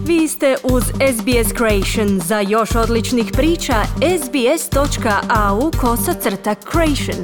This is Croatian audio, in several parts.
Vi ste uz SBS Creation. Za još odličnih priča, sbs.au/creation.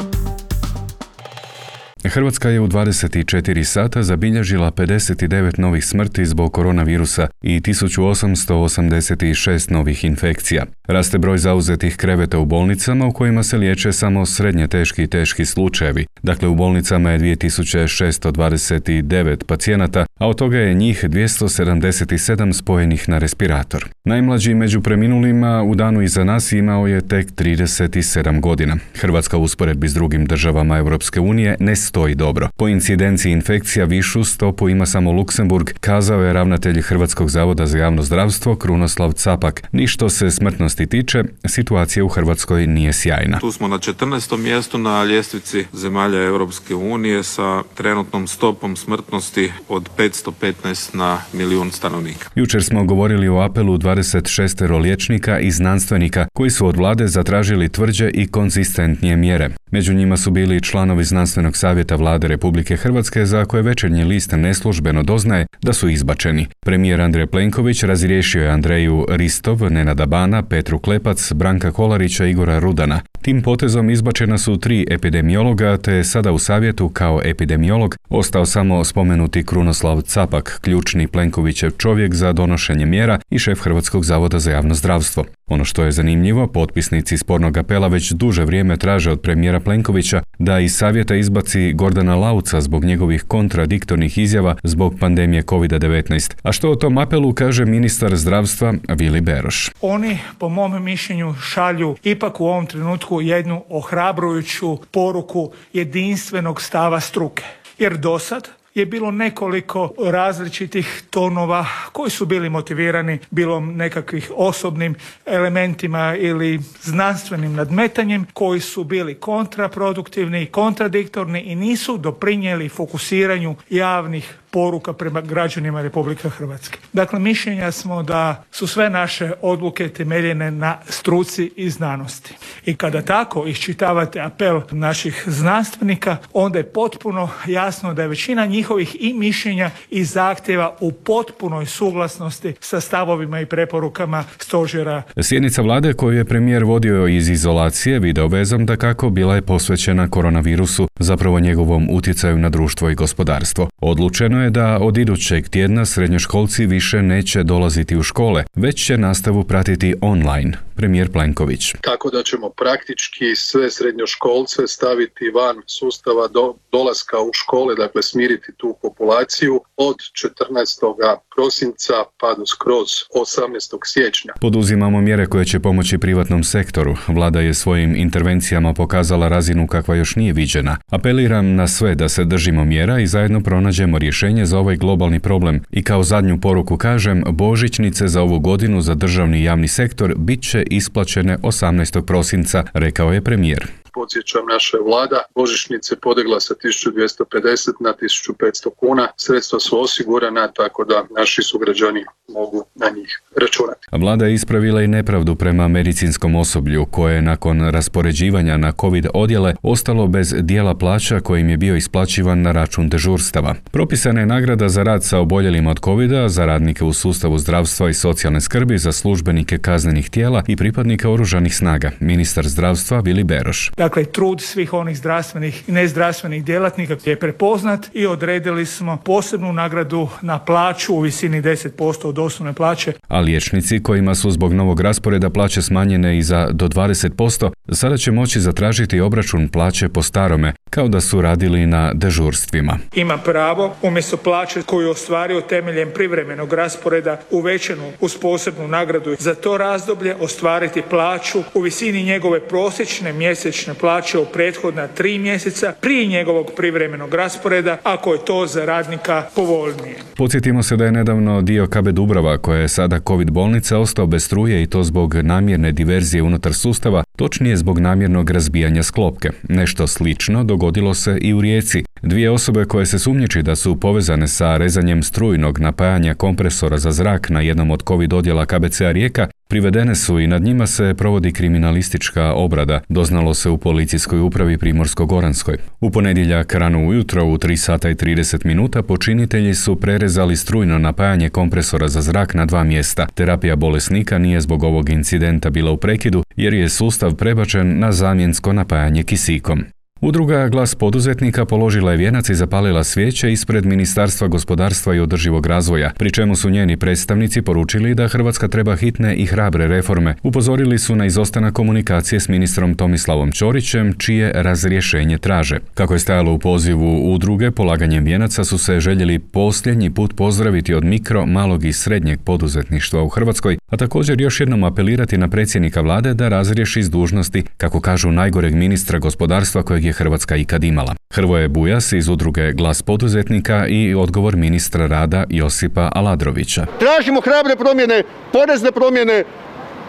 Hrvatska je u 24 sata zabilježila 59 novih smrti zbog koronavirusa i 1886 novih infekcija. Raste broj zauzetih kreveta u bolnicama u kojima se liječe samo srednje teški i teški slučajevi. Dakle, u bolnicama je 2629 pacijenata, a od toga je njih 277 spojenih na respirator. Najmlađi među preminulima u danu iza nas imao je tek 37 godina. Hrvatska u usporedbi s drugim državama Europske unije ne stoji dobro. Po incidenciji infekcija višu stopu ima samo Luksemburg, kazao je ravnatelj Hrvatskog zavoda za javno zdravstvo Krunoslav Capak. Ni što se smrtnosti tiče, situacija u Hrvatskoj nije sjajna. Tu smo na 14. mjestu na ljestvici zemalja Europske unije sa trenutnom stopom smrtnosti od 515 na milijun stanovnika. Jučer smo govorili o apelu 26 liječnika i znanstvenika koji su od vlade zatražili tvrđe i konzistentnije mjere. Među njima su bili članovi Znanstvenog savjeta vlade Republike Hrvatske za koje Večernji list neslužbeno doznaje da su izbačeni. Premijer Andrej Plenković razriješio je Andreju Ristov, Nenada Bana, Petru Klepac, Branka Kolarića i Igora Rudana. Tim potezom izbačena su 3 epidemiologa, te je sada u savjetu kao epidemiolog ostao samo spomenuti Krunoslav Capak, ključni Plenkovićev čovjek za donošenje mjera i šef Hrvatskog zavoda za javno zdravstvo. Ono što je zanimljivo, potpisnici spornog apela već duže vrijeme traže od premijera Plenkovića da iz savjeta izbaci Gordana Lauca zbog njegovih kontradiktornih izjava zbog pandemije COVID-19. A što o tom apelu kaže ministar zdravstva Vili Beroš? Oni, po mom mišljenju, šalju ipak u ovom trenutku jednu ohrabrujuću poruku jedinstvenog stava struke. Jer dosad je bilo nekoliko različitih tonova koji su bili motivirani bilo nekakvih osobnim elementima ili znanstvenim nadmetanjem, koji su bili kontraproduktivni i kontradiktorni i nisu doprinijeli fokusiranju javnih poruka prema građanima Republike Hrvatske. Dakle, mišljenja smo da su sve naše odluke temeljene na struci i znanosti. I kada tako iščitavate apel naših znanstvenika, onda je potpuno jasno da je većina njihovih i mišljenja i zahtjeva u potpunoj suglasnosti sa stavovima i preporukama stožera. Sjednica vlade koju je premijer vodio iz izolacije videovezom dakako bila je posvećena koronavirusu, zapravo njegovom utjecaju na društvo i gospodarstvo. Odlučeno je da od idućeg tjedna srednjoškolci više neće dolaziti u škole, već će nastavu pratiti online. Premijer Plenković. Tako da ćemo praktički sve srednjoškolce staviti van sustava do dolaska u škole, dakle smiriti tu populaciju od 14. prosinca pa do skroz 18. siječnja. Poduzimamo mjere koje će pomoći privatnom sektoru. Vlada je svojim intervencijama pokazala razinu kakva još nije viđena. Apeliram na sve da se držimo mjera i zajedno pronađemo rješenje za ovaj globalni problem. I kao zadnju poruku kažem, božićnice za ovu godinu za državni i javni sektor bit će isplaćene 18. prosinca, rekao je premijer. Podsjećam, naša je vlada božićnice podigla sa 1250 na 1500 kuna. Sredstva su osigurana, tako da naši sugrađani mogu na njih računati. Vlada je ispravila i nepravdu prema medicinskom osoblju koje je nakon raspoređivanja na COVID odjele ostalo bez dijela plaća kojim je bio isplaćivan na račun dežurstava. Propisana je nagrada za rad sa oboljelima od COVID-a, za radnike u sustavu zdravstva i socijalne skrbi, za službenike kaznenih tijela i pripadnike oružanih snaga. Ministar zdravstva Vili Beroš. Dakle, trud svih onih zdravstvenih i nezdravstvenih djelatnika je prepoznat i odredili smo posebnu nagradu na plaću u visini 10% od osnovne plaće. A liječnici kojima su zbog novog rasporeda plaće smanjene i za do 20%, sada će moći zatražiti obračun plaće po starome, kao da su radili na dežurstvima. Ima pravo umjesto plaće koju je ostvario temeljem privremenog rasporeda uvećanu uz posebnu nagradu za to razdoblje ostvariti plaću u visini njegove prosječne mjesečne plaće u prethodna 3 mjeseca prije njegovog privremenog rasporeda, ako je to za radnika povoljnije. Podsjetimo se da je nedavno dio KB Dubrava, koja je sada COVID bolnica, ostao bez struje i to zbog namjerne diverzije unutar sustava, točnije zbog namjernog razbijanja sklopke. Nešto slično dogodilo se i u Rijeci. 2 osobe koje se sumnjiči da su povezane sa rezanjem strujnog napajanja kompresora za zrak na jednom od COVID odjela KBC-a Rijeka Privedene su i nad njima se provodi kriminalistička obrada, doznalo se u policijskoj upravi Primorsko-goranskoj. U ponedjeljak rano ujutro u 3 sata i 30 minuta počinitelji su prerezali strujno napajanje kompresora za zrak na 2 mjesta. Terapija bolesnika nije zbog ovog incidenta bila u prekidu jer je sustav prebačen na zamjensko napajanje kisikom. Udruga Glas poduzetnika položila je vijenac i zapalila svijeće ispred Ministarstva gospodarstva i održivog razvoja, pri čemu su njeni predstavnici poručili da Hrvatska treba hitne i hrabre reforme. Upozorili su na izostanak komunikacije s ministrom Tomislavom Ćorićem, čije razrješenje traže. Kako je stajalo u pozivu udruge, polaganjem vijenaca su se željeli posljednji put pozdraviti od mikro, malog i srednjeg poduzetništva u Hrvatskoj, a također još jednom apelirati na predsjednika vlade da razriješi s dužnosti, kako kažu, najgoreg ministra gospodarstva kojeg je Hrvatska ikad imala. Hrvoje Bujas iz udruge Glas poduzetnika i odgovor ministra rada Josipa Aladrovića. Tražimo hrabre promjene, porezne promjene,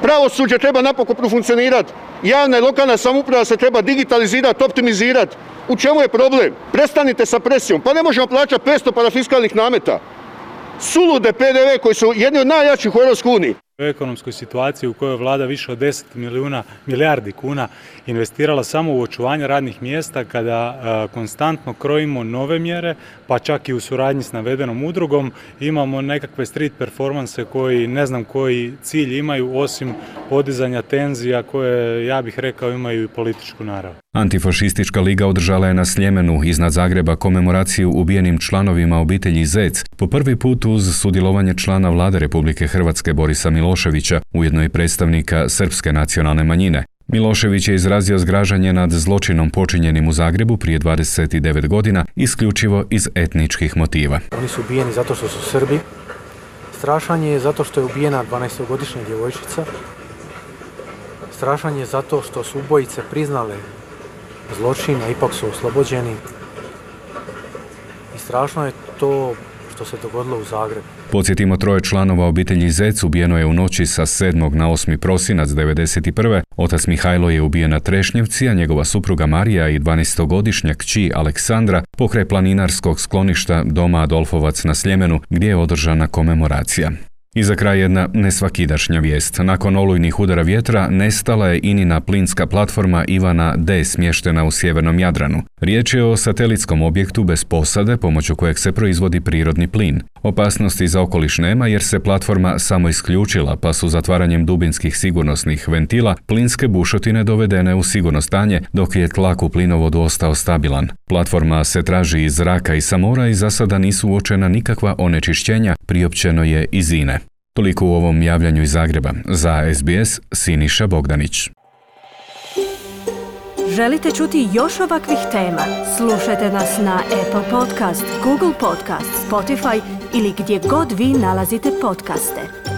pravosuđe treba napokon profunkcionirati, javna i lokalna samouprava se treba digitalizirati, optimizirati. U čemu je problem? Prestanite sa presijom. Pa ne možemo plaćati 500 parafiskalnih nameta. Sulude PDV koji su jedni od najjačih u EU. U ekonomskoj situaciji u kojoj vlada više od 10 milijardi kuna investirala samo u očuvanje radnih mjesta, kada konstantno krojimo nove mjere, pa čak i u suradnji s navedenom udrugom, imamo nekakve street performanse koji ne znam koji cilj imaju osim podizanja tenzija koje, ja bih rekao, imaju i političku narav. Antifašistička liga održala je na Sljemenu iznad Zagreba komemoraciju ubijenim članovima obitelji Zec, po prvi put uz sudjelovanje člana vlade Republike Hrvatske Borisa Miloševića, ujedno i predstavnika srpske nacionalne manjine. Milošević je izrazio zgražanje nad zločinom počinjenim u Zagrebu prije 29 godina isključivo iz etničkih motiva. Oni su ubijeni zato što su Srbi. Strašan je zato što je ubijena 12-godišnja djevojčica. Strašan je zato što su ubojice priznale zločin, a ipak su oslobođeni. I strašno je to što se dogodilo u Zagrebu. Podsjetimo, 3 članova obitelji Zec ubijeno je u noći sa 7. na 8. prosinac 1991. Otac Mihajlo je ubijen na Trešnjevci, a njegova supruga Marija i 12-godišnja kći Aleksandra pokraj planinarskog skloništa doma Adolfovac na Sljemenu, gdje je održana komemoracija. I za kraj jedna nesvakidašnja vijest. Nakon olujnih udara vjetra nestala je INIna plinska platforma Ivana D smještena u sjevernom Jadranu. Riječ je o satelitskom objektu bez posade pomoću kojeg se proizvodi prirodni plin. Opasnosti za okoliš nema jer se platforma samo isključila, pa su zatvaranjem dubinskih sigurnosnih ventila plinske bušotine dovedene u sigurno stanje, dok je tlak u plinovodu ostao stabilan. Platforma se traži iz zraka i sa mora i za sada nisu uočena nikakva onečišćenja, priopćeno je iz INE. Toliko u ovom javljanju iz Zagreba. Za SBS, Siniša Bogdanić. Želite čuti još ovakvih tema? Slušajte nas na Apple Podcast, Google Podcast, Spotify ili gdje god vi nalazite podcaste.